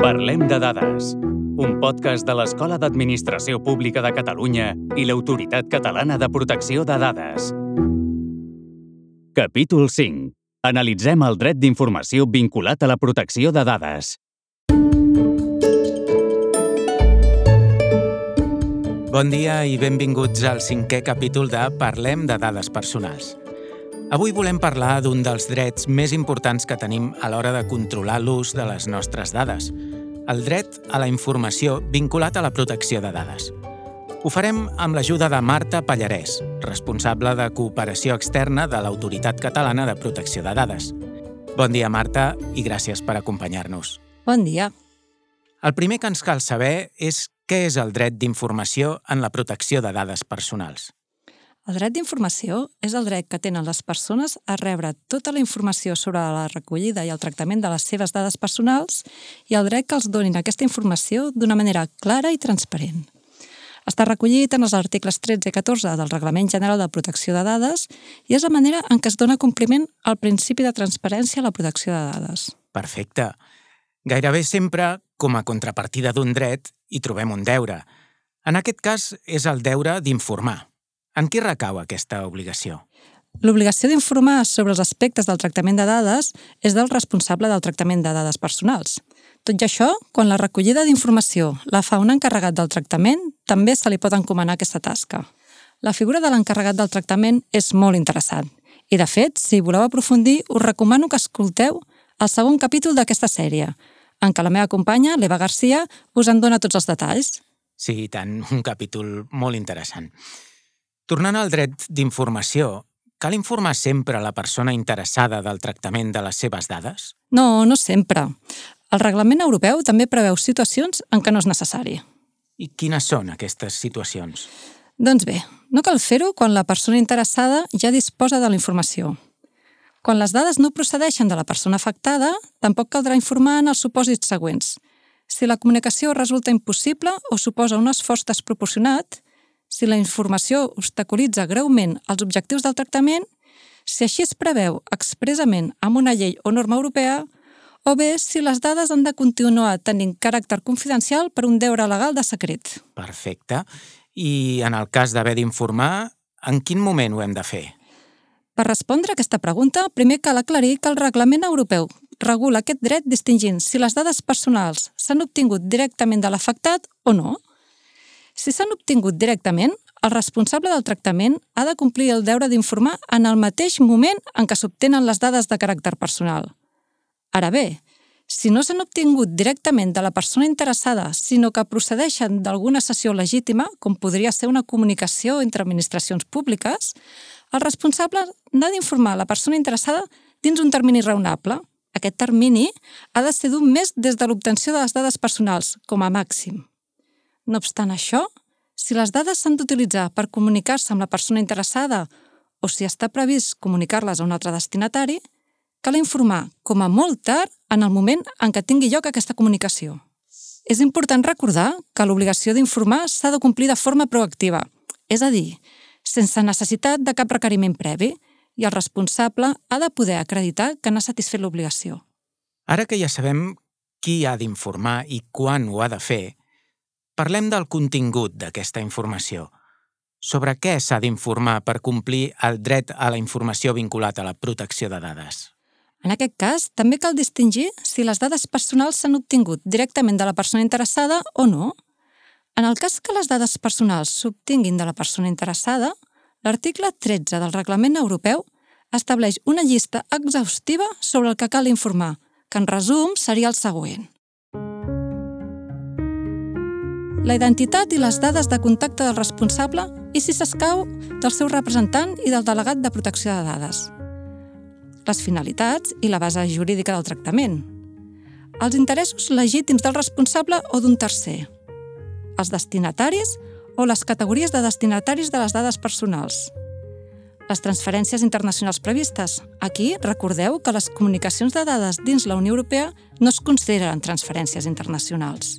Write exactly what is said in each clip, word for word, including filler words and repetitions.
Parlem de dades, un podcast de l'Escola d'Administració Pública de Catalunya i l'Autoritat Catalana de Protecció de Dades. Capítol cinc. Analitzem el dret d'informació vinculat a la protecció de dades. Bon dia i benvinguts al cinquè capítol de Parlem de dades personals. Avui volem parlar d'un dels drets més importants que tenim a l'hora de controlar l'ús de les nostres dades, el dret a la informació vinculat a la protecció de dades. Ho farem amb l'ajuda de Marta Pallarès, responsable de cooperació externa de l'Autoritat Catalana de Protecció de Dades. Bon dia, Marta, i gràcies per acompanyar-nos. Bon dia. El primer que ens cal saber és què és el dret d'informació en la protecció de dades personals. El dret d'informació és el dret que tenen les persones a rebre tota la informació sobre la recollida i el tractament de les seves dades personals i el dret que els donin aquesta informació d'una manera clara i transparent. Està recollit en els articles tretze i catorze del Reglament General de Protecció de Dades i és la manera en què es dona compliment al principi de transparència a la protecció de dades. Perfecte. Gairebé sempre, com a contrapartida d'un dret, hi trobem un deure. En aquest cas, és el deure d'informar. En qui recau aquesta obligació? L'obligació d'informar sobre els aspectes del tractament de dades és del responsable del tractament de dades personals. Tot i això, quan la recollida d'informació la fa un encarregat del tractament, també se li pot encomanar aquesta tasca. La figura de l'encarregat del tractament és molt interessant. I, de fet, si voleu aprofundir, us recomano que escolteu el segon capítol d'aquesta sèrie, en què la meva companya, l'Eva Garcia, us en dona tots els detalls. Sí, i tant, un capítol molt interessant. Tornant al dret d'informació, cal informar sempre la persona interessada del tractament de les seves dades? No, no sempre. El Reglament Europeu també preveu situacions en què no és necessari. I quines són aquestes situacions? Doncs bé, no cal fer-ho quan la persona interessada ja disposa de la informació. Quan les dades no procedeixen de la persona afectada, tampoc caldrà informar en els supòsits següents. Si la comunicació resulta impossible o suposa un esforç desproporcionat, si la informació obstaculitza greument els objectius del tractament, si així es preveu expressament amb una llei o norma europea, o bé si les dades han de continuar tenint caràcter confidencial per un deure legal de secret. Perfecte. I en el cas d'haver d'informar, en quin moment ho hem de fer? Per respondre a aquesta pregunta, primer cal aclarir que el Reglament Europeu regula aquest dret distingint si les dades personals s'han obtingut directament de l'afectat o no. Si s'han obtingut directament, el responsable del tractament ha de complir el deure d'informar en el mateix moment en què s'obtenen les dades de caràcter personal. Ara bé, si no s'han obtingut directament de la persona interessada, sinó que procedeixen d'alguna cessió legítima, com podria ser una comunicació entre administracions públiques, el responsable n'ha d'informar la persona interessada dins un termini raonable. Aquest termini ha de ser d'un mes des de l'obtenció de les dades personals, com a màxim. No obstant això, si les dades s'han d'utilitzar per comunicar-se amb la persona interessada o si està previst comunicar-les a un altre destinatari, cal informar, com a molt tard, en el moment en què tingui lloc aquesta comunicació. És important recordar que l'obligació d'informar s'ha de complir de forma proactiva, és a dir, sense necessitat de cap requeriment previ, i el responsable ha de poder acreditar que n'ha satisfet l'obligació. Ara que ja sabem qui ha d'informar i quan ho ha de fer, parlem del contingut d'aquesta informació. Sobre què s'ha d'informar per complir el dret a la informació vinculat a la protecció de dades? En aquest cas, també cal distingir si les dades personals s'han obtingut directament de la persona interessada o no. En el cas que les dades personals s'obtinguin de la persona interessada, l'article tretze del Reglament Europeu estableix una llista exhaustiva sobre el que cal informar, que en resum seria el següent. La identitat i les dades de contacte del responsable i, si s'escau, del seu representant i del delegat de protecció de dades. Les finalitats i la base jurídica del tractament. Els interessos legítims del responsable o d'un tercer. Els destinataris o les categories de destinataris de les dades personals. Les transferències internacionals previstes. Aquí, recordeu que les comunicacions de dades dins la Unió Europea no es consideren transferències internacionals.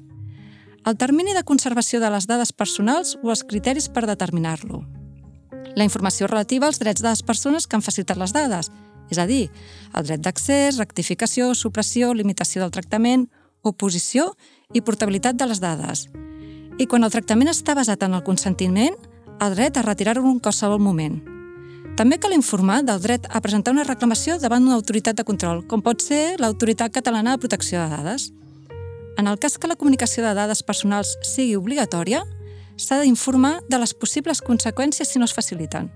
El termini de conservació de les dades personals o els criteris per determinar-lo. La informació relativa als drets de les persones que han facilitat les dades, és a dir, el dret d'accés, rectificació, supressió, limitació del tractament oposició i portabilitat de les dades. I quan el tractament està basat en el consentiment, el dret a retirar-ho en qualsevol moment. També cal informar del dret a presentar una reclamació davant una autoritat de control, com pot ser l'Autoritat Catalana de Protecció de Dades. En el cas que la comunicació de dades personals sigui obligatòria, s'ha d'informar de les possibles conseqüències si no es faciliten.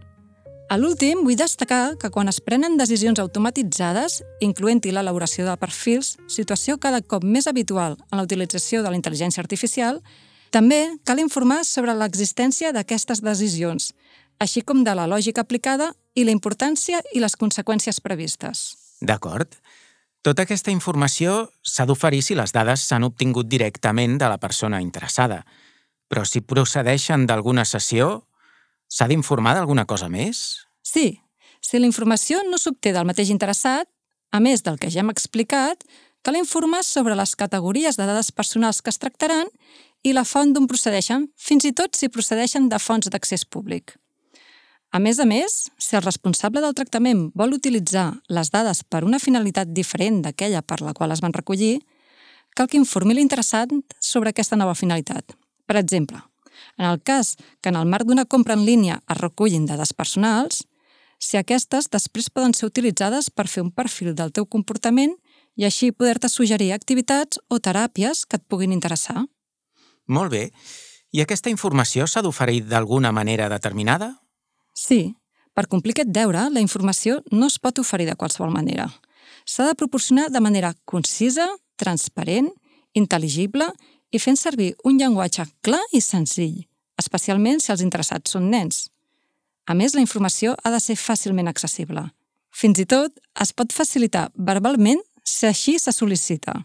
A l'últim, vull destacar que quan es prenen decisions automatitzades, incloent-hi l'elaboració de perfils, situació cada cop més habitual en la utilització de la intel·ligència artificial, també cal informar sobre l'existència d'aquestes decisions, així com de la lògica aplicada i la importància i les conseqüències previstes. D'acord. Tota aquesta informació s'ha d'oferir si les dades s'han obtingut directament de la persona interessada. Però si procedeixen d'alguna sessió, s'ha d'informar d'alguna cosa més? Sí. Si la informació no s'obté del mateix interessat, a més del que ja hem explicat, cal informar sobre les categories de dades personals que es tractaran i la font d'on procedeixen, fins i tot si procedeixen de fonts d'accés públic. A més a més, si el responsable del tractament vol utilitzar les dades per una finalitat diferent d'aquella per la qual es van recollir, cal que informi l'interessat sobre aquesta nova finalitat. Per exemple, en el cas que en el marc d'una compra en línia es recullin dades personals, si aquestes després poden ser utilitzades per fer un perfil del teu comportament i així poder-te suggerir activitats o teràpies que et puguin interessar. Molt bé. I aquesta informació s'ha d'oferir d'alguna manera determinada? Sí. Per complir aquest deure, la informació no es pot oferir de qualsevol manera. S'ha de proporcionar de manera concisa, transparent, intel·ligible i fent servir un llenguatge clar i senzill, especialment si els interessats són nens. A més, la informació ha de ser fàcilment accessible. Fins i tot, es pot facilitar verbalment si així se sol·licita.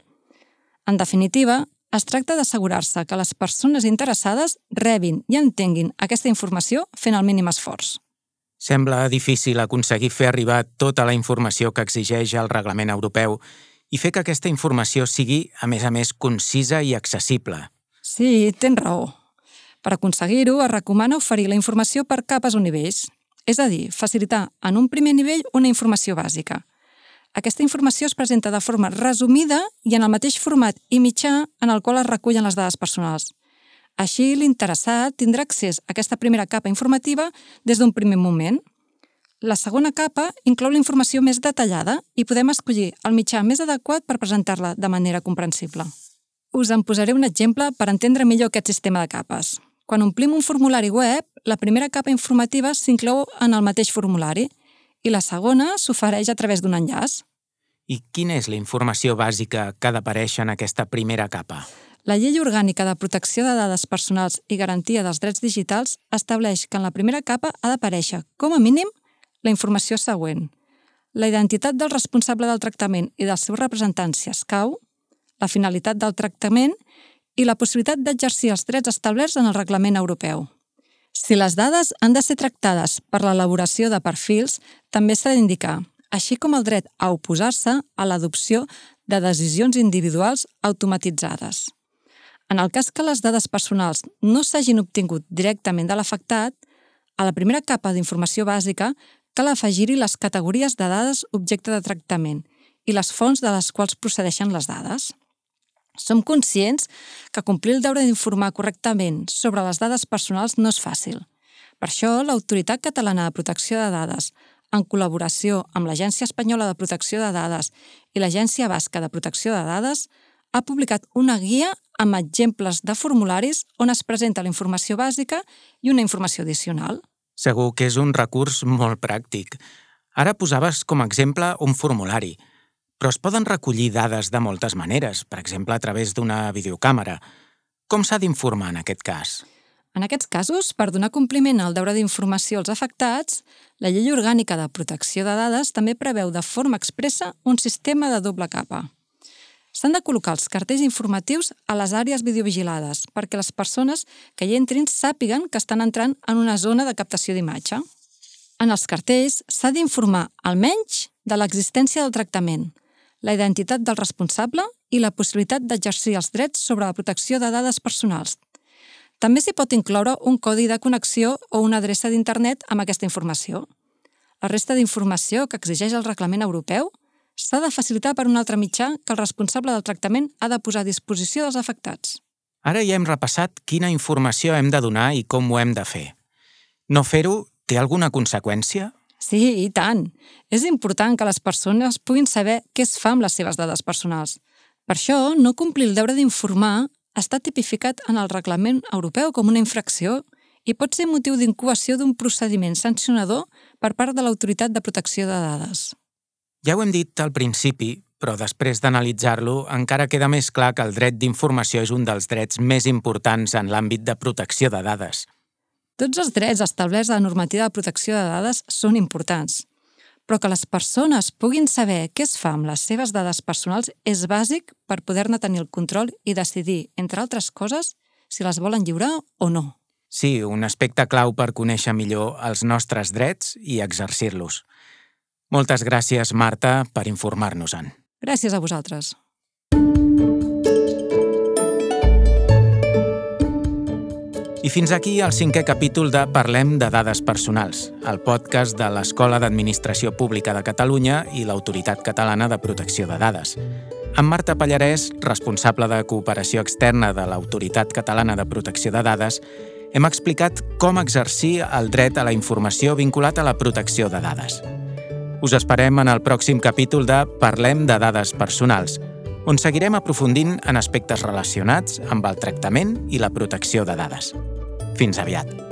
En definitiva, es tracta d'assegurar-se que les persones interessades rebin i entenguin aquesta informació fent el mínim esforç. Sembla difícil aconseguir fer arribar tota la informació que exigeix el reglament europeu i fer que aquesta informació sigui, a més a més, concisa i accessible. Sí, tens raó. Per aconseguir-ho, es recomana oferir la informació per capes o nivells, és a dir, facilitar en un primer nivell una informació bàsica. Aquesta informació es presenta de forma resumida i en el mateix format i mitjà en el qual es recullen les dades personals. Així, l'interessat tindrà accés a aquesta primera capa informativa des d'un primer moment. La segona capa inclou la informació més detallada i podem escollir el mitjà més adequat per presentar-la de manera comprensible. Us en posaré un exemple per entendre millor aquest sistema de capes. Quan omplim un formulari web, la primera capa informativa s'inclou en el mateix formulari i la segona s'ofereix a través d'un enllaç. I quina és la informació bàsica que ha d'aparèixer en aquesta primera capa? La Llei Orgànica de Protecció de Dades Personals i Garantia dels Drets Digitals estableix que en la primera capa ha d'aparèixer, com a mínim, la informació següent: la identitat del responsable del tractament i dels seus representants si escau, la finalitat del tractament i la possibilitat d'exercir els drets establerts en el reglament europeu. Si les dades han de ser tractades per l'elaboració de perfils, també s'ha d'indicar, així com el dret a oposar-se a l'adopció de decisions individuals automatitzades. En el cas que les dades personals no s'hagin obtingut directament de l'afectat, a la primera capa d'informació bàsica cal afegir-hi les categories de dades objecte de tractament i les fonts de les quals procedeixen les dades. Som conscients que complir el deure d'informar correctament sobre les dades personals no és fàcil. Per això, l'Autoritat Catalana de Protecció de Dades, en col·laboració amb l'Agència Espanyola de Protecció de Dades i l'Agència Basca de Protecció de Dades, ha publicat una guia amb exemples de formularis on es presenta la informació bàsica i una informació addicional. Segur que és un recurs molt pràctic. Ara posaves com a exemple un formulari, però es poden recollir dades de moltes maneres, per exemple a través d'una videocàmera. Com s'ha d'informar en aquest cas? En aquests casos, per donar compliment al deure d'informació als afectats, la Llei Orgànica de Protecció de Dades també preveu de forma expressa un sistema de doble capa. S'han de col·locar els cartells informatius a les àrees videovigilades perquè les persones que hi entrin sàpiguen que estan entrant en una zona de captació d'imatge. En els cartells s'ha d'informar almenys de l'existència del tractament, la identitat del responsable i la possibilitat d'exercir els drets sobre la protecció de dades personals. També s'hi pot incloure un codi de connexió o una adreça d'internet amb aquesta informació. La resta d'informació que exigeix el reglament europeu S'ha de facilitar per un altre mitjà que el responsable del tractament ha de posar a disposició dels afectats. Ara ja hem repassat quina informació hem de donar i com ho hem de fer. No fer-ho té alguna conseqüència? Sí, i tant. És important que les persones puguin saber què es fa amb les seves dades personals. Per això, no complir el deure d'informar està tipificat en el Reglament Europeu com una infracció i pot ser motiu d'incoació d'un procediment sancionador per part de l'Autoritat de Protecció de Dades. Ja ho hem dit al principi, però després d'analitzar-lo encara queda més clar que el dret d'informació és un dels drets més importants en l'àmbit de protecció de dades. Tots els drets establerts a la normativa de protecció de dades són importants, però que les persones puguin saber què es fa amb les seves dades personals és bàsic per poder-ne tenir el control i decidir, entre altres coses, si les volen lliurar o no. Sí, un aspecte clau per conèixer millor els nostres drets i exercir-los. Moltes gràcies, Marta, per informar-nos-en. Gràcies a vosaltres. I fins aquí el cinquè capítol de Parlem de dades personals, el podcast de l'Escola d'Administració Pública de Catalunya i l'Autoritat Catalana de Protecció de Dades. Amb Marta Pallarès, responsable de cooperació externa de l'Autoritat Catalana de Protecció de Dades, hem explicat com exercir el dret a la informació vinculat a la protecció de dades. Us esperem en el pròxim capítol de Parlem de dades personals, on seguirem aprofundint en aspectes relacionats amb el tractament i la protecció de dades. Fins aviat!